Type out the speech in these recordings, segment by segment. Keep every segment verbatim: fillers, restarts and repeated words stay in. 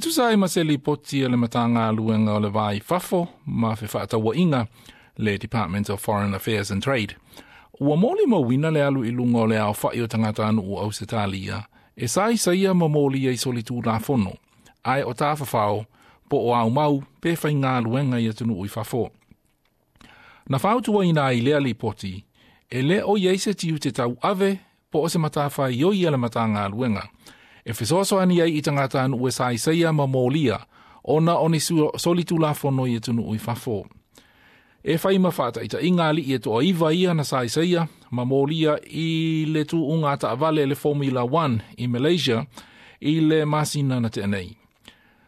Tusa ai ma se lipoti a le Matagaluega o le Va i Fafo ma Fefaatauaiga, le Department of Foreign Affairs and Trade. Ua molimauina le alu i luga o le aofa'i o tagatanuu o Ausetalia e saisaia ma molia i solitulafono, ae o tafafao po o aumau pe faigaluega i atunuu i fafo. Na fautuaina ai lea lipoti, e lē o i ai se tiute tauave po o se matafaioi a le Matagaluega e fesoasoani ai i tagatanuu e saisaia ma molia ona o ni solitulafono i atunuu i fafo. E fai ma faataitaiga alii e toaiva ia na saisaia ma molia i le tuuga taavale le Formula One i Malaysia i le masina na tea nei.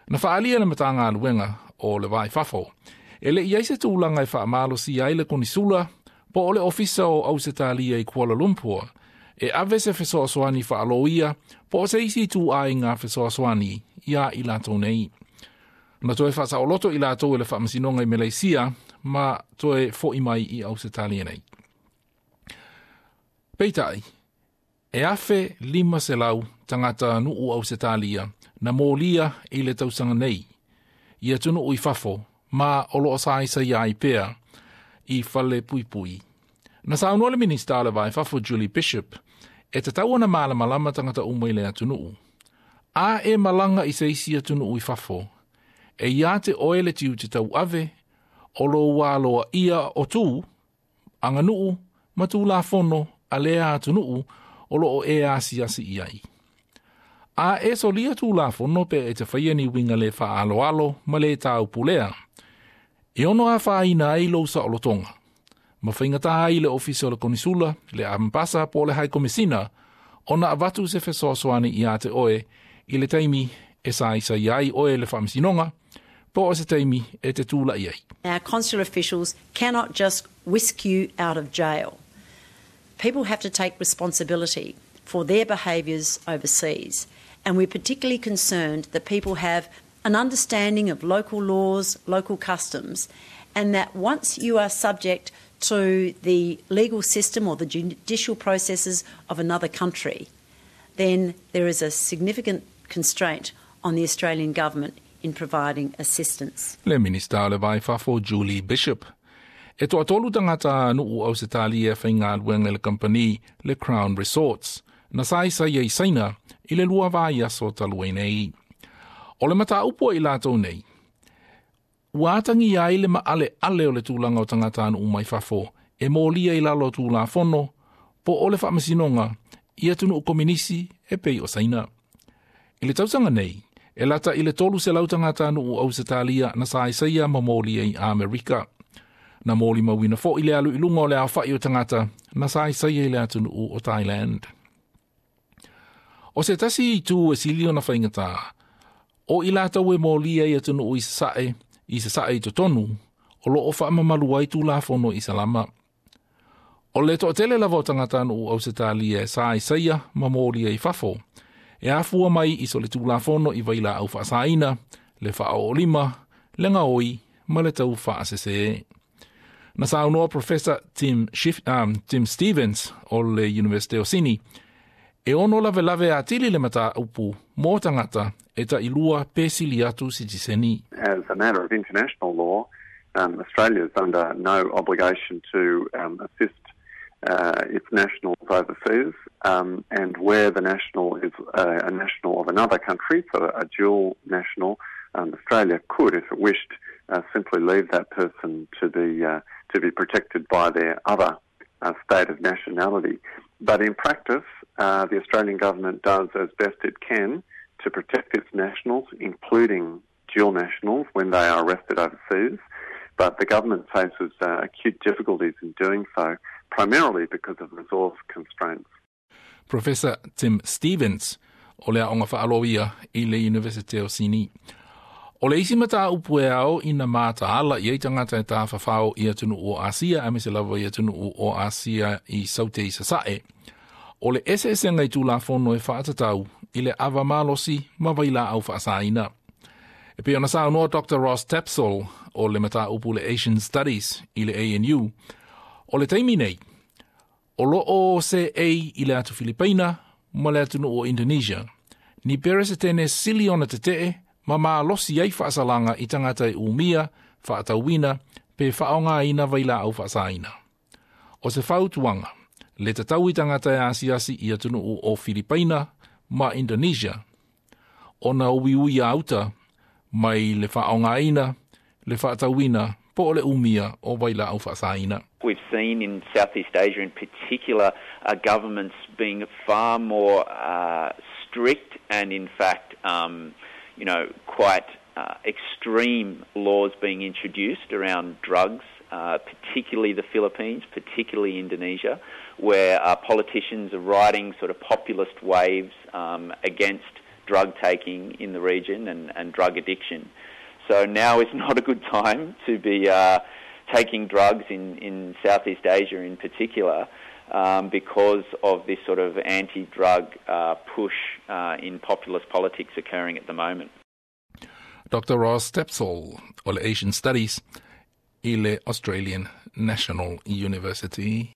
Na faaalia le Matagaluega o le Va i Fafo, e le i ai se tulaga e faamalosia ai le konisula po o le ofisa o Ausetalia i Kuala Lumpur e ave se fesoasoani faaloia po o se isi ituaiga fesoasoani ia i latou nei. Na toe faasaoloto i latou e le faamasinoga i Malaysia ma toe fo'i mai i Ausetalia nei. Peitai, e afe lima selau tagatanuu Ausetalia na molia i le tausaga nei i atunuu i fafo ma o loo saisaia ai pea i fale puipui. Na saunoa le Minista o le Va i Fafo Julie Bishop e tatau ona malamalama tagata uma i le atunuu. A e malaga i se isi atunuu i fafo, e ia te oe le tiute tauave o lou aloaia o tu, aganuu ma tulafono a lea atunuu o loo e asiasi i ai. A e solia tulafono pe e te faia ni uiga le faaaloalo ma le taupulea, e ono afaina ai lou saolotoga, ma faigata ai le ofisa o le konisula, le ambasa po o le High Komisina, ona avatu se fesoasoani ia te oe i le taimi e saisai ai oe le faamasinoga, po o se taimi e te tula'i ai. Our consular officials cannot just whisk you out of jail. People have to take responsibility for their behaviours overseas. And we're particularly concerned that people have an understanding of local laws, local customs, and that once you are subject to the legal system or the judicial processes of another country, then there is a significant constraint on the Australian government in providing assistance. Le Minista o le Va i Fafo Julie Bishop. E toatolu tagatanuu Ausetalia faigaluega i le kampani le Crown Resorts, na saisaia i Saina i le lua vaiaso talu ai nei. O le mataupu i latou nei, ua atagia ai le maaleale o le tulaga o tagatanuu mai fafo e molia i lalo o tulafono po o le faamasinoga i atunuu kominisi e pei o Saina. I le tausaga nei, e lata i le tolu selau tagatanuu Ausetalia na saisaia ma molia i Amerika. Na molimauina fo'i le alu i luga o le aofa'i o tagata na saisaia i le atunuu o Thailand. O se tasi itu e sili ona faigata, o i latou e molia i atunuu i sasae, i sasae i totonu, o loo faamamalu ai tulafono i Salama. O le toatele lava o tagatanuu Ausetalia e saisaia ma molia i fafo, e afua mai i solitulafono i vailaau faasaina, le faaoolima, le gaoi ma le tau faasese. Na saunoa Professor Tim, Schiff, um, Tim Stevens o le University o Sini, e ono lavelave atili le mataupu mo tagata e tailua pe sili atu sitiseni. As a matter of international law, um, Australia is under no obligation to um, assist uh, its nationals overseas, um, and where the national is a, a national of another country, so a dual national, um, Australia could, if it wished, uh, simply leave that person to be uh, to be protected by their other uh, state of nationality. But in practice, uh, the Australian government does as best it can to protect its nationals, including dual nationals, when they are arrested overseas. But the government faces uh, acute difficulties in doing so, primarily because of resource constraints. Professor Tim Stevens o le aoga faaloia i le University o Sini. O le isi mataupu e ao ina mataala i ai tagata e tafafao i atunuu o Asia aemaise lava i atunuu o Asia i Saute i Sasae. O le eseesega i tulafono e faatatau i le ava malosi ma vailaau faasaina. E pei ona saunoa Doctor Ross Tapsell o le mataupu le Asian Studies i le A N U, o le taimi nei, o loo seei i le atu Filipaina ma le atunuu o Indonesia, ni peresetene sili ona tetee Ma malosi ai faasalaga i tagata e umia, faatauina, pe faaaogaina vailaau faasaina. O se fautuaga, le tatau i tagata e asiasi i atunuu o Filipaina ma Indonesia, ona uiui auta mai le faaaogaina, le faatauina, po o le umia o vailaau faasaina. We've seen in Southeast Asia in particular uh, governments being far more uh, strict and in fact, um, you know, quite uh, extreme laws being introduced around drugs, uh, particularly the Philippines, particularly Indonesia, where uh, politicians are riding sort of populist waves um, against drug taking in the region and, and drug addiction. So now is not a good time to be uh, taking drugs in, in Southeast Asia in particular um, because of this sort of anti-drug uh, push uh, in populist politics occurring at the moment. Doctor Ross Stepsall o le Asian Studies i le Australian National University.